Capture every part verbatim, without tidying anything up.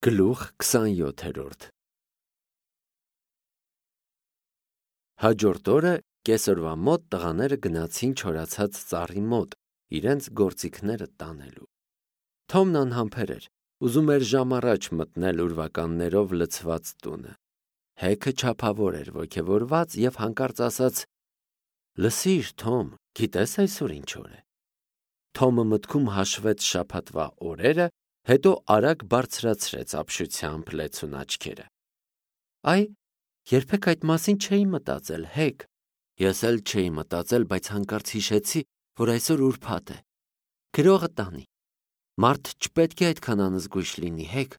Գլուխ քսանյոթերորդ Հաջորդ օրը կեսօրվա մոտ տղաները գնացին չորացած ծառի մոտ, իրենց գործիքները տանելու։ Թոմն անհամբեր էր, ուզում էր ժամ առաջ մտնել ուրվականներով լցված տունը։ Հեքը չափավոր էր ոգևորված և հանկարծ ասաց. «Լսիր, Թոմ, գիտես այսօր ինչ օր է»։ Թոմը մտքում հաշվեց շաբաթվա օրերը, հետո արագ բարձրացրեց ապշությամբ լեցուն աչքերը։ Այ, երբեք այդ մասին չէի մտածել, հեկ։ Ես էլ չէի մտածել, բայց հանկարծ հիշեցի, որ այսօր ուրբաթ է։ Գրողը տանի։ Մարդ չպետք է այդքան անզգույշ լինի, հեկ։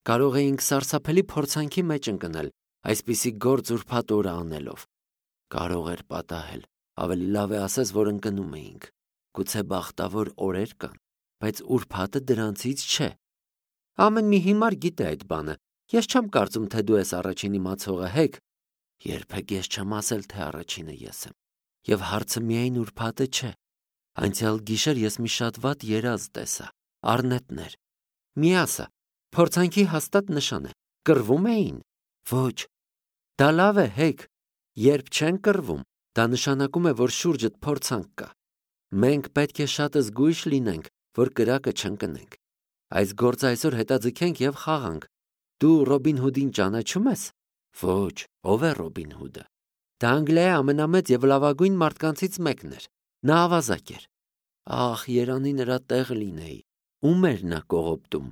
Կարող էինք սարսափելի փորձանքի մեջ ընկնել, այսպիսի գործ ուրբաթ օրը անելով։ Կարող էր պատահել, ավելի լավ է ասես, որ ընկնում էինք։ Գուցե բախտավոր օրեր կան, բայց ուրբաթը դրանցից չէ։ Ամեն մի հիմար գիտե այդ բանը։ Ես չեմ կարծում, թե դու ես առաջին իմացողը, հեկ։ Երբեք ես չեմ ասել, թե առաջինը ես եմ։ Եվ հարցը միայն ուրբաթը չէ։ Անցյալ գիշեր ես մի շատ վատ երազ տեսա, առնետներ։ Մի ասա, փորձանքի հաստատ նշան է։ Կռվում էին։ Ոչ։ Դա լավ է, հեկ։ Երբ չեն կռվում, դա նշանակում է, որ շուրջդ փորձանք կա։ Մենք պետք է շատ զգույշ լինենք, որ կրակը չընկնենք։ Այս գործը այսօր հետաձգենք և խաղանք։ Դու Ռոբին Հուդին ճանաչում ես։ Ոչ, ով է Ռոբին Հուդը։ Դա Անգլիայի ամենամեծ և լավագույն մարդկանցից մեկն էր։ Նա ավազակ էր։ Ախ, երանի նրա տեղ լինեի։ Ում էր նա կողոպտում։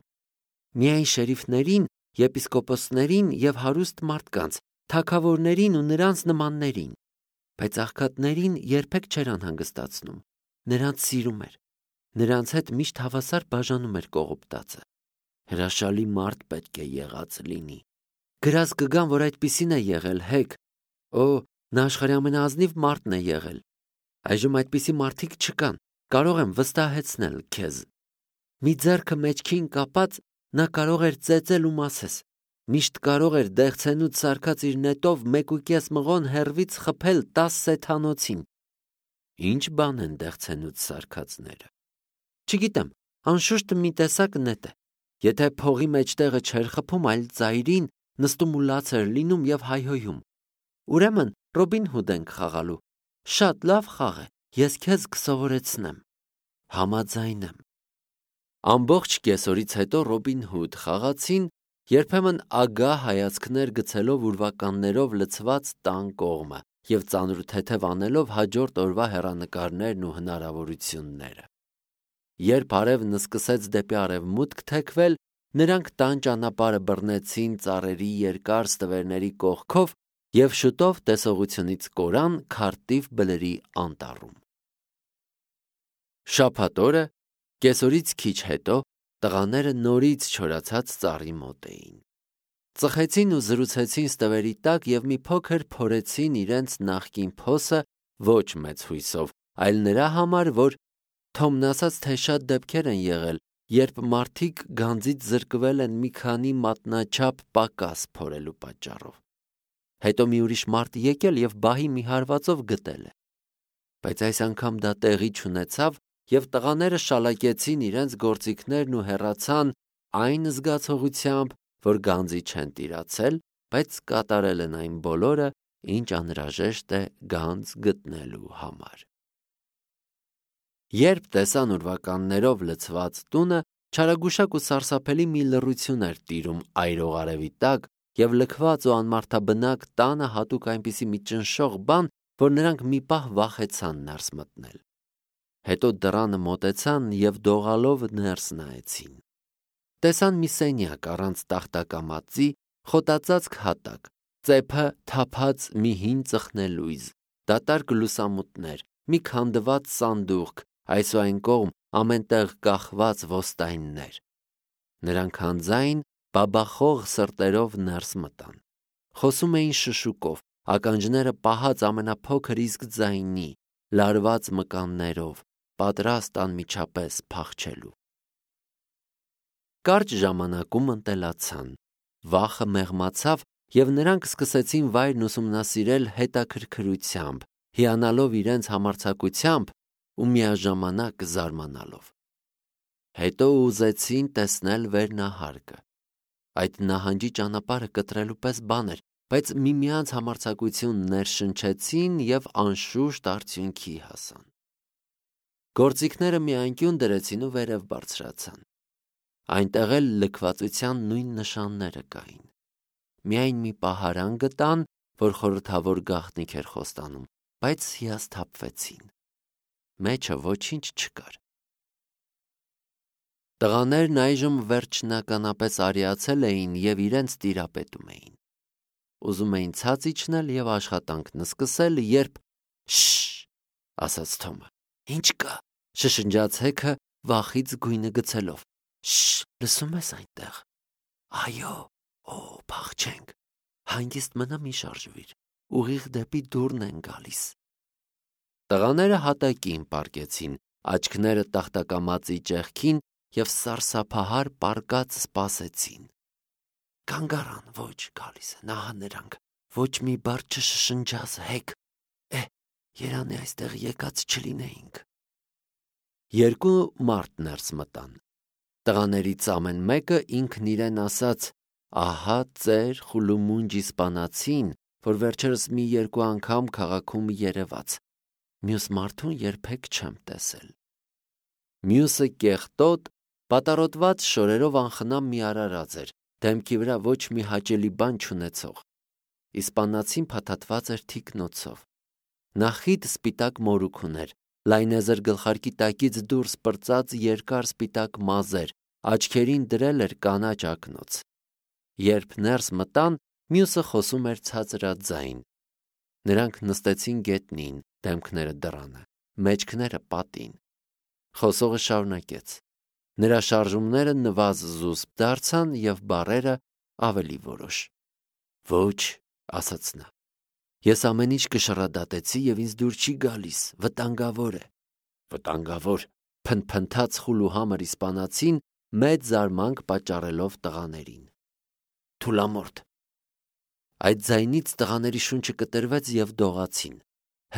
Միայն շերիֆներին, եպիսկոպոսներին և հարուստ մարդկանց, թագավորներին ու նրանց նմաններին։ Բայց աղքատներին երբեք չէր անհանգստացնում։ Նրանց սիրում էր։ Նրանց հետ միշտ հավասար բաժանում էր կողոպտածը։ Հրաշալի մարդ պետք է եղած լինի։ Գրած կգան, որ այդպիսին է եղել, հեկ։ Օ, նա աշխարհի ամենաազնիվ մարդն է եղել։ Այժմ այդպիսի մարդիկ չկան, կարող եմ վստահեցնել քեզ։ Մի ձեռքը մեջքին կապած, նա կարող էր ծեծել ու մասես։ Միշտ կարող էր դեղցենուց սարքած իր նետով մեկ ու կես մղոն հեռվից խփել տաս սեթանոցին։ Ինչ բան են դեղցենուց սարքածները։ Չգիտեմ, անշուշտ մի տեսակ նետ է։ Եթե փողի մեջտեղը չէր խփում, այլ ծայրին, նստում ու լաց էր լինում և հայհոյում։ Ուրեմն Ռոբին Հուդ ենք խաղալու։ Շատ լավ խաղ է, ես քեզ կսովորեցնեմ։ Համաձայն եմ։ Ամբողջ կեսօրից հետո Ռոբին Հուդ խաղացին, երբեմն ագահ հայացքներ գցելով ուրվականներով լցված տան կողմը և ծանր թեթև անելով հաջորդ օրվա հեռանկարներն ու հնարավորությունները։ Երբ արևն սկսեց դեպի արևմուտք թեքվել, նրանք տան ճանապարհը բռնեցին ծառերի երկար ստվերների կողքով և շուտով տեսողությունից կորան Քարտիվ բլրի անտառում։ Շաբաթ օրը, կեսօրից քիչ հետո, տղաները նորից չորացած ծառի մոտ էին։ Ծխեցին ու զրուցեցին ստվերի տակ և մի փոքր փորեցին իրենց նախկին փոսը ոչ մեծ հույսով, այլ նրա համար, որ Թոմն ասաց, թե շատ դեպքեր են եղել, երբ մարդիկ գանձից զրկվել են մի քանի մատնաչափ պակաս փորելու պատճառով։ Հետո մի ուրիշ մարդ եկել և բահի մի հարվածով գտել է։ Բայց այս անգամ դա տեղի չունեցավ, և տղաները շալակեցին իրենց գործիքներն ու հեռացան այն զգացողությամբ, որ գանձի չեն տիրացել, բայց կատարել են այն բոլորը, ինչ անհրաժեշտ է գանձ գտնելու համար։ Երբ տեսան ուրվականներով լցված տունը, չարագուշակ ու սարսափելի մի լռություն էր տիրում այրող արևի տակ, և լքված ու անմարդաբնակ տանը հատուկ այնպիսի մի ճնշող բան, որ նրանք մի պահ վախեցան ներս մտնել։ Հետո դռանը մոտեցան և դողալով ներս նայեցին։ Տեսան մի սենյակ առանց տախտակամածի, խոտածածկ հատակ, ծեփը թափած մի հին ծխնելույզ, դատարկ լուսամուտներ, մի քանդված սանդուղք, այս ու այն կողմ ամեն տեղ կախված ոստայններ։ Նրանք անձայն բաբախող սրտերով ներս մտան։ Խոսում էին շշուկով, ականջները պահած ամենափոքր իսկ ձայնի, լարված մկաններով, պատրաստ անմիջապես փախչելու։ Կարճ ժամանակում ընտելացան, վախը մեղմացավ, և նրանք սկսեցին վայրն ուսումնասիրել հետաքրքրությամբ, հիանալով իրենց համարձակությամբ ու միաժամանակ զարմանալով։ Հետո ուզեցին տեսնել վերնահարկը։ Այդ նահանջի ճանապարհը կտրելու պես բան էր, բայց միմյանց համարձակություն ներշնչեցին և անշուշտ արդյունքի հասան։ Գործիքները մի անկյուն դրեցին ու վերև բարձրացան։ Այնտեղ էլ լքվածության նույն նշանները կային։ Միայն մի պահարան գտան, որ խորհրդավոր գաղտնիք էր խոստանում, բայց հիասթափվեցին։ Մեջը ոչինչ չկար։ Տղաներն այժմ վերջնականապես արիացել էին և իրենց տիրապետում էին։ Ուզում էին ցած իջնել և աշխատանքն սկսել, երբ «Շշ», ասաց Թոմը։ «Ինչ կա», շշնջաց Հեքը վախից գույնը գցելով։ «Շշ, լսում ես այնտեղ»։ «Այո, օ, փախչենք»։ «Հանգիստ մնա, մի շարժվիր, ուղիղ դեպի դուռն են գալիս»։ Տղաները հատակին պառկեցին, աչքները տախտակամածի ճեղքին և սարսափահար պառկած սպասեցին։ Կանգ առան, ոչ, գալիս են, ահա նրանք, ոչ մի բառ չշշնջաս, Հեք, է, երանի այստեղ եկած չլինեինք։ Երկու մարդ ներս մտան։ Տղաներից ամեն մեկը ինքն իրեն ասաց. «Ահա ծեր խուլումունջ իսպանացին, որ վերջերս մի երկու անգամ քաղաքում երևաց, մյուս մարդուն երբեք չեմ տեսել»։ Մյուսը կեղտոտ, պատառոտված շորերով անխնամ մի արարած էր, դեմքի վրա ոչ մի հաճելի բան չունեցող։ Իսպանացին փաթաթված էր թիկնոցով։ Նա խիտ սպիտակ մորուք ուներ, լայնեզր գլխարկի տակից դուրս պրծած երկար սպիտակ մազեր, աչքերին դրել էր կանաչ ակնոց։ Երբ ներս մտան, մյուսը խոսում էր ցածրաձայն։ Նրանք նստեցին գետնին, դեմքները դռանը, մեջքները պատին։ Խոսողը շարունակեց։ Նրա շարժումները նվազ-զուսպ դարձան և բառերը ավելի որոշ։ «Ոչ», ասաց նա, «ես ամեն ինչ կշռադատեցի և ինձ դուր չի գալիս, վտանգավոր է»։ «Վտանգավոր», փնթփնթաց խուլուհամր իսպանացին, մեծ զարմանք պատճառելով տղաներին։ «Թուլամորթ»։ Այդ ձայնից տղաների շունչը կտրվեց և դողացին։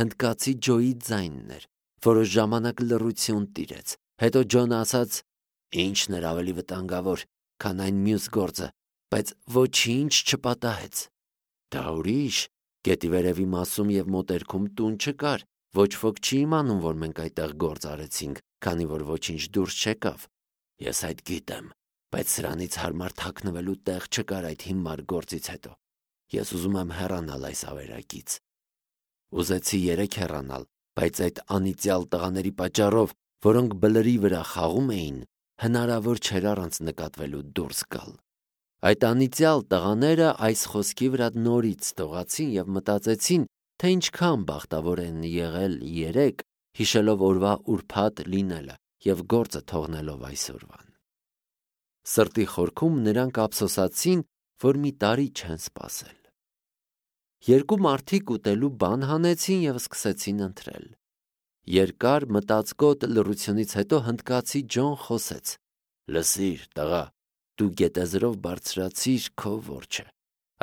Հնդկացի Ջոյի ձայնն էր։ Որոշ ժամանակ լռություն տիրեց։ Հետո Ջոնը ասաց. «Ինչն էր ավելի վտանգավոր, քան այն մյուս գործը, բայց ոչինչ չպատահեց»։ «Դա ուրիշ, գետի վերևի մասում և մոտերքում տուն չկար, ոչ ոք չի իմանում, որ մենք այդտեղ գործ արեցինք, քանի որ ոչինչ դուրս չեկավ»։ «Ես այդ գիտեմ, բայց սրանից հարմար թաքնվելու տեղ չկար այդ հիմար գործից հետո։ Ես ուզում եմ հեռանալ այս ավերակից»։ Ուզեցի երեք հեռանալ, բայց այդ անիծյալ տղաների պատճառով, որոնք բլրի վրա խաղում էին, հնարավոր չէր առանց նկատվելու դուրս գալ։ Այդ անիծյալ տղաները այս խոսքի վրա նորից դողացին և մտածեցին, թե ինչքան բախտավոր են եղել երեկ, հիշելով օրվա ուրբաթ լինելը և գործը թողնելով այսօրվան։ Սրտի խորքում նրանք ափսոսացին, որ մի տարի չեն սպասել։ Երկու մարդիկ ուտելու բան հանեցին և սկսեցին ընթրել։ Երկար մտածկոտ լռությունից հետո հնդկացի Ջոն խոսեց. «Լսիր, տղա, դու գետեզրով բարձրացիր քո որջը,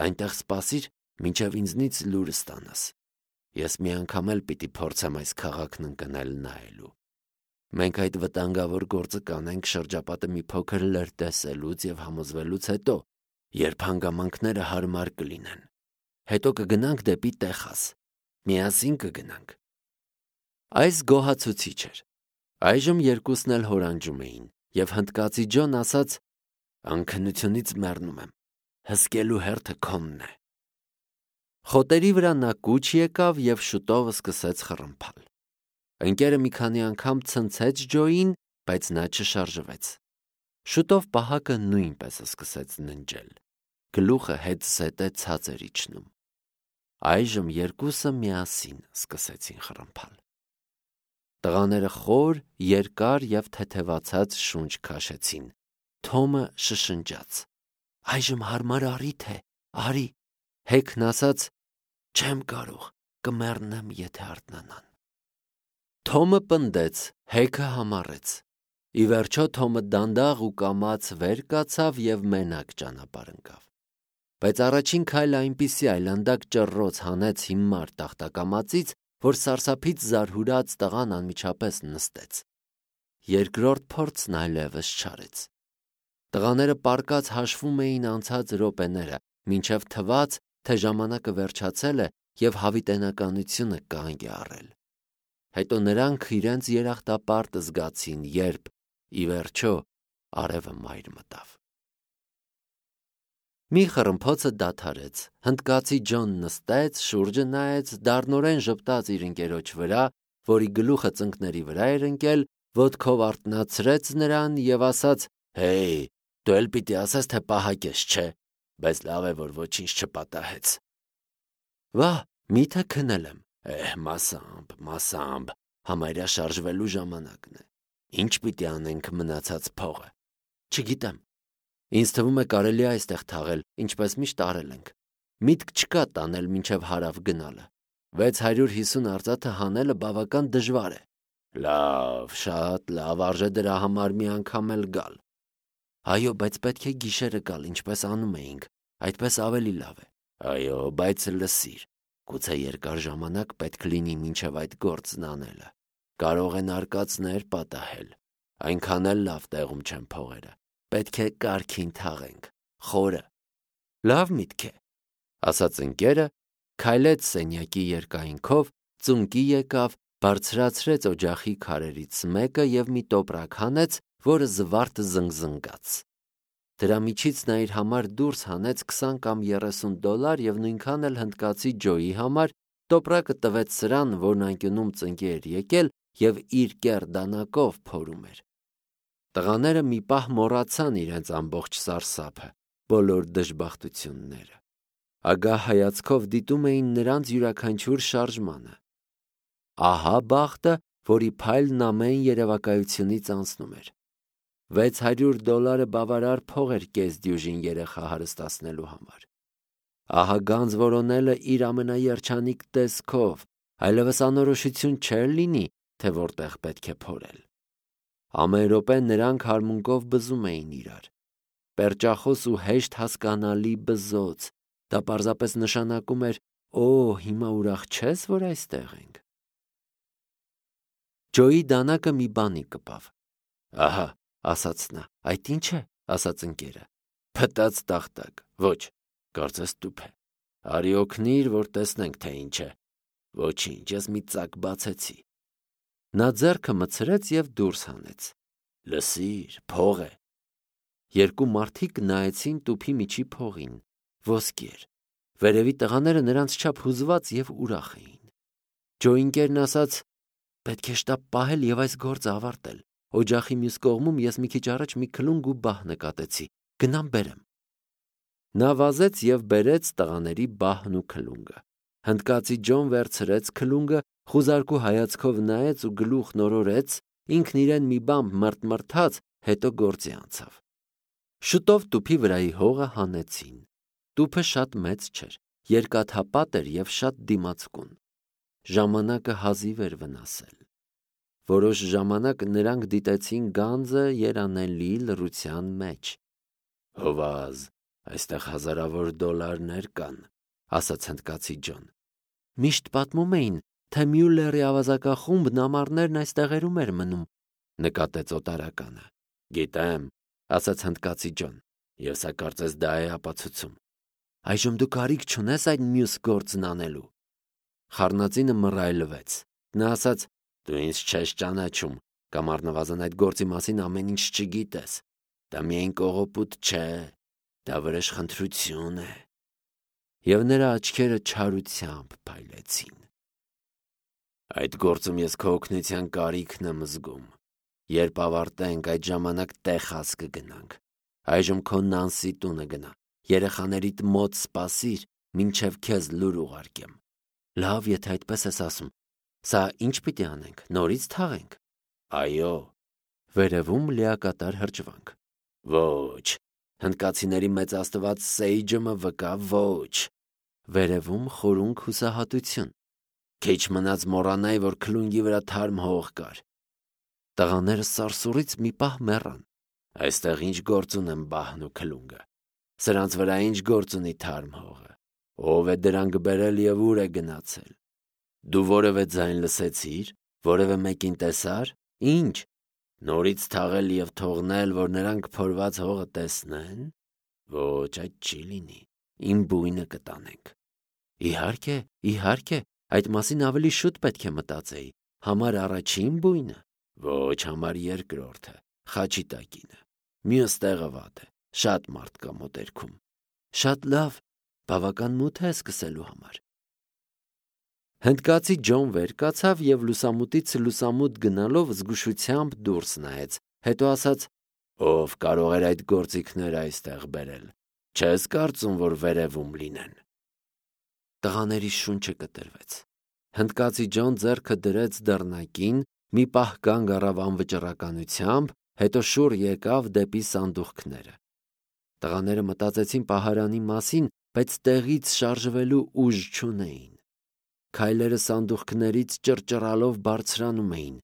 այնտեղ սպասիր, մինչև ինձնից լուր ստանաս։ Ես մի անգամ էլ պիտի փորձեմ այս քաղաքն ընկնել նայելու։ Մենք այդ վտանգավոր գործը կանենք շրջապատը մի փոքր լրտեսելուց և համոզվելուց հետո, երբ հանգամանքները հարմար կլինեն։ Հետո կգնանք դեպի Տեխաս։ Միասին կգնանք»։ Այս գոհացուցիչ էր։ Այժմ երկուսն էլ հորանջում էին, և հնդկացի Ջոն ասաց. «Անքնությունից մեռնում եմ, հսկելու հերթը քոնն է»։ Խոտերի վրա նա կուչ եկավ և շուտով սկսեց խռմփալ։ Ընկերը մի քանի անգամ ցնցեց Ջոյին, բայց նա չշարժվեց։ Շուտով պահակը նույնպես սկսեց ննջել։ Գլուխը հետզհետե ցած էր իջնում։ Այժմ երկուսը միասին սկսեցին խռմփալ։ Տղաները խոր, երկար և թեթևացած շունչ քաշեցին։ Թոմը շշնջաց. «Այժմ հարմար առիթ է, արի»։ Հեքն ասաց. «Չեմ կարող, կմեռնեմ, եթե արթնանան»։ Թոմը պնդեց, Հեքը համառեց։ Ի վերջո Թոմը դանդաղ ու կամաց վեր կացավ և մենակ ճանապարհ ընկավ։ Բայց առաջին քայլը այնպիսի այլանդակ ճռռոց հանեց հիմար տախտակամածից, որ սարսափից զարհուրած տղան անմիջապես նստեց։ Երկրորդ փորձն այլևս չարեց։ Տղաները պառկած հաշվում էին անցած րոպեները, մինչև թվաց, թե ժամանակը վերջացել է և հավիտենականությունը կանգ է առել։ Հետո նրանք իրենց երախտապարտը զգացին, երբ, ի վերջո, արևը մայր մտավ։ Մի խռմփոցը դադարեց, հնդկացի Ջոն նստեց, շուրջը նայեց, դառնորեն ժպտաց իր ընկերոջ վրա, որի գլուխը ծնկների վրա էր ընկել, ոտքով արթնացրեց նրան և ասաց. «Հեյ, դու էլ պիտի ասես, թե պահակես, չէ, բայց լավ է, որ ոչինչ չպատահեց»։ Վա՜, միթե քնել եմ։ Էհ, մասամբ, մասամբ, համարյա շարժվելու ժամանակն է։ Ինչ պիտի անենք մնացած փողը։ Չգիտեմ։ Ինձ թվում է կարելի է այստեղ թաղել, ինչպես միշտ արել ենք։ Միտք չկա տանել մինչև հարավ գնալը։ վեց հարյուր հիսուն արծաթը հանելը բավական դժվար է։ Լավ, շատ լավ, արժե դրա համար մի անգամ էլ գալ։ Այո, բայց պետք է գիշերը գալ, ինչպես անում էինք, այդպես ավելի լավ է։ Այո, բայց լսիր, գուցե երկար ժամանակ պետք լինի մինչև այդ գործն անելը։ Կարող են արկածներ պատահել։ Այնքան էլ լավ տեղում չեն փողերը։ Պետք է կարգին թաղենք, խորը։ Լավ միտք է, ասաց ընկերը, քայլեց սենյակի երկայնքով, ծունկի եկավ, բարձրացրեց օջախի քարերից մեկը և մի տոպրակ հանեց, որը զվարթ զնգզնգաց։ Դրա միջից նա իր համար դուրս հանեց քսան կամ երեսուն դոլար և նույնքան էլ հնդկացի Ջոյի համար, տոպրակը տվեց սրան, որն անկյունում ծնկի էր եկել և իր կեռ դանակով փորում էր։ Տղաները մի պահ մոռացան իրենց ամբողջ սարսափը, բոլոր դժբախտությունները։ Ագահ հայացքով դիտում էին նրանց յուրաքանչյուր շարժմանը։ Ահա բախտը, որի փայլն ամեն երևակայությունից անցնում էր։ Վեց հարյուր դոլարը բավարար փող էր կեսդյուժին երեխա հարստացնելու համար։ Ահա գանձ որոնելը իր ամենաերջանիկ տեսքով, այլևս անորոշություն չէր լինի, թե որտեղ պետք է փորել։ Ամեն րոպե նրանք հարմունկով բզում էին իրար։ Պերճախոս ու հեշտ հասկանալի բզոց, դա պարզապես նշանակում էր. «Օ, հիմա ուրախ չես, որ այստեղ ենք»։ Ջոյի դանակը մի բանի կպավ։ Ահա, ասաց նա, այդ ի՞նչ է, ասաց ընկերը։ Փտած տախտակ, ոչ, կարծես տուփ է։ Արի օգնիր, որ տեսնենք, թե ինչ է։ Ոչինչ, ես մի ծակ բացեցի։ Նա ձեռքը մտցրեց և դուրս հանեց։ Լսիր, փող է։ Երկու մարդիկ նայեցին տուփի միջի փողին։ Ոսկի էր։ Վերևի տղաները նրանց չափ հուզված և ուրախ էին։ Ջոյի ընկերն ասաց. «Պետք է շտապ պահել և այս գործը ավարտել։ Օջախի մյուս կողմում ես մի քիչ առաջ մի քլունգ ու բահ նկատեցի։ Գնամ բերեմ»։ Նա վազեց և բերեց տղաների բահն ու քլունգը։ Հնդկացի Ջոն վերցրեց քլունգը, խուզարկու հայացքով նայեց ու գլուխն օրորեց, ինքն իրեն մի բան մրթմրթաց, հետո գործի անցավ։ Շուտով տուփի վրայի հողը հանեցին։ Տուփը շատ մեծ չէր, երկաթապատ էր և շատ դիմացկուն։ Ժամանակը հազիվ էր վնասել։ Որոշ ժամանակ նրանք դիտեցին գանձը երանելի լռության մեջ։ Հովազ, այստեղ հազարավոր դոլարներ կան, ասաց հնդկացի Ջոն։ Միշտ պատմում էին, թե Մյուլլերի ավազակախումբն ամառներն այս տեղերում էր մնում, նկատեց օտարականը։ Գիտեմ, ասաց հնդկացի Ջոն, և սա կարծես դա է ապացուցում։ Այժմ դու կարիք չունես այդ մյուս գործն անելու։ Խառնածինը մռայլվեց։ Նա ասաց. «Դու ինձ չես ճանաչում, կամ առնվազն այդ գործի մասին ամեն ինչ չգիտես։ Դա միայն կողոպուտ չէ, դա վրեժխնդրություն է»։ Եվ նրա աչքերը չարությամբ փայլեցին։ Այդ գործում ես քո օգնության կարիքն եմ զգում։ Երբ ավարտենք, այդ ժամանակ Տեխաս կգնանք։ Այժմ քո Նանսի տունը գնա, երեխաներիդ մոտ սպասիր, մինչև քեզ լուր ուղարկեմ։ Լավ, եթե այդպես ես ասում։ Սա ինչ պիտի անենք, նորից թաղենք։ Այո։ Վերևում լիակատար հրճվանք։ Ոչ, հնդկացիների մեծ աստված Սեյջը վկա, ոչ։ Վերևում խորունկ հուսահատություն։ Քիչ մնաց մոռանայի, որ քլունգի վրա թարմ հող կար։ Տղաները սարսուռից մի պահ մեռան։ Այստեղ ինչ գործ ունեն բահն ու քլունգը։ Սրանց վրա ինչ գործ ունի թարմ հողը։ Ով է դրանք բերել և ուր է գնացել։ Դու որևէ ձայն լսեցի՞ր, որևէ մեկին տեսա՞ր։ Ինչ։ Նորից թաղել և թողնել, որ նրանք փորված հողը տեսնեն։ Ոչ, այդ չի լինի, իմ բույնը կտանենք։ Իհարկե, իհարկե, այդ մասին ավելի շուտ պետք է մտածեի, համար առաջին բույնը, ոչ համար երկրորդը, խաչի տակինը, մյուս տեղը վատ է, շատ մարդ կա մոտերքում, շատ լավ, բավական մութ է սկսելու համար։ Հնդկացի Ջոն վեր կացավ և լուսամուտից լուսամուտ գնալով զգուշությամբ դուրս նայեց, հետո ասաց. «Ով կարող էր այդ գործիքները այստեղ բերել, չես կարծում, որ վերևում լինեն»։ Տղաների շունչը կտրվեց։ Հնդկացի Ջոն ձեռքը դրեց դռնակին, մի պահ կանգ առավ անվճռականությամբ, հետո շուռ եկավ դեպի սանդուղքները։ Տղաները մտածեցին պահարանի մասին, բայց տեղից շարժվելու ուժ չունեին։ Քայլերը սանդուղքներից ճռճռալով բարձրանում էին։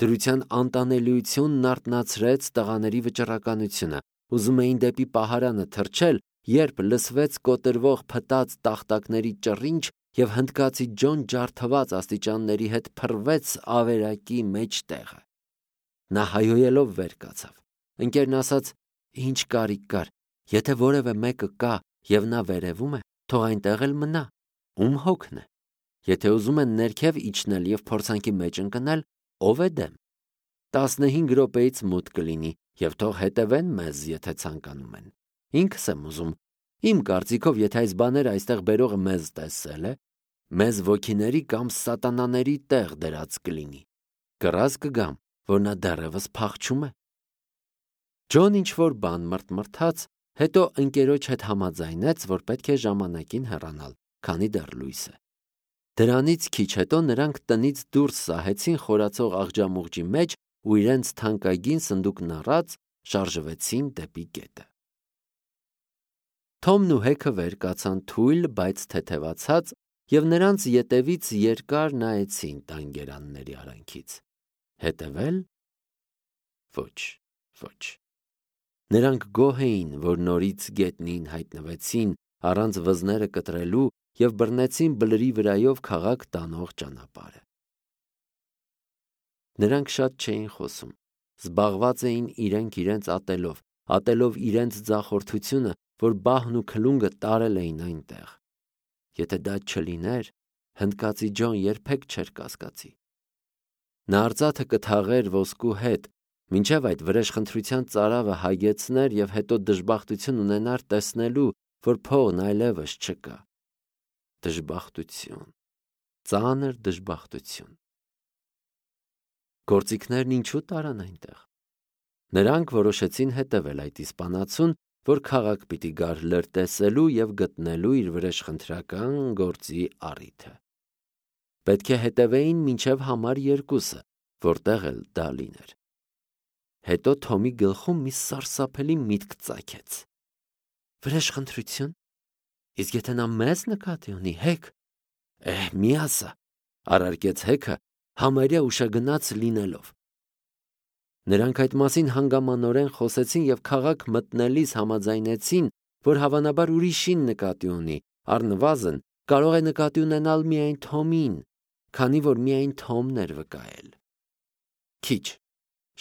Դրության անտանելիությունն արթնացրեց տղաների վճռականությունը, ուզում էին դեպի պահարանը թռչել, երբ լսվեց կոտրվող փտած տախտակների ճռինչ և հնդկացի Ջոն ջարդված աստիճանների հետ փռվեց ավերակի մեջտեղը։ Նա հայհոյելով վեր կացավ։ Ընկերն ասաց. «Ինչ կարիք կար, եթե որևէ մեկը կա և նա վերևում է, թող այնտեղ էլ մնա, ում հոգն է։ Եթե ուզում են ներքև իջնել և փորձանքի մեջ ընկնել, ով է դեմ։ Տասնհինգ րոպեից մութ կլինի և թող հետևեն մեզ, եթե ցանկանում են։ Ինքս եմ ուզում, իմ կարծիքով, եթե այս բաները այստեղ բերողը մեզ տեսել է, մեզ ոգիների կամ սատանաների տեղ դրած կլինի։ Կռած կգամ, որ նա դեռևս փախչում է»։ Ջոն ինչ-որ բան մռթմռթաց, հետո ընկերոջ հետ համաձայնեց, որ պետք է ժամանակին հեռանալ, քանի դեռ լույս է։ Դրանից քիչ հետո նրանք տնից դուրս սահեցին խորացող աղջամուղջի մեջ ու իրենց թանկագին սնդուկն առած շարժվեցին դեպի գետը։ Թոմն ու Հեքը վեր կացան թույլ, բայց թեթևացած, և նրանց ետևից երկար նայեցին տան-գերանների արանքից։ Հետևել։ Ոչ, ոչ։ Նրանք գոհ էին, որ նորից գետնին հայտնվեցին առանց վզները կտրելու և բռնեցին բլրի վրայով քաղաք տանող ճանապարհը։ Նրանք շատ չէին խոսում, զբաղված էին իրենք իրենց ատելով, ատելով իրենց ձախորդությունը, որ բահն ու քլունգը տարել էին այնտեղ։ Եթե դա չլիներ, հնդկացի Ջոն երբեք չէր կասկածի։ Նա արծաթը կթաղեր ոսկու հետ, մինչև այդ վրեժխնդրության ծարավը հագեցներ և հետո դժբախտություն ունենար տեսնելու, որ փողն այլևս չկա։ Դժբախտություն, ծանր դժբախտություն։ Գործիքներն ինչու տարան այնտեղ։ Նրանք որոշեցին հետևել այդ իսպանացուն, որ քաղաք պիտի գար լրտեսելու և գտնելու իր վրեժխնդրական գործի առիթը։ Պետք է հետևեին մինչև համար երկուսը, որտեղ էլ դա լիներ։ Հետո Թոմի գլխում մի սարսափելի միտք ծագեց։ Վրեժխնդրություն։ Իսկ եթե նա մեզ նկատի ունի, Հեք։ Էհ, մի ասա, առարկեց Հեքը, համարյա ուշագնաց լինելով։ Նրանք այդ մասին հանգամանորեն խոսեցին և քաղաք մտնելիս համաձայնեցին, որ հավանաբար ուրիշին նկատի ունի, առնվազն կարող է նկատի ունենալ միայն Թոմին, քանի որ միայն Թոմն էր վկայել։ Քիչ,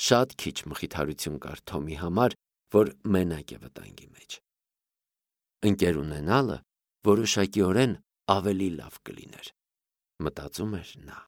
շատ քիչ մխիթարություն կար Թոմի համար, որ մենակ է վտանգի մեջ։ Ընկեր ունենալը որոշակիորեն ավելի լավ կլիներ, մտածում էր նա։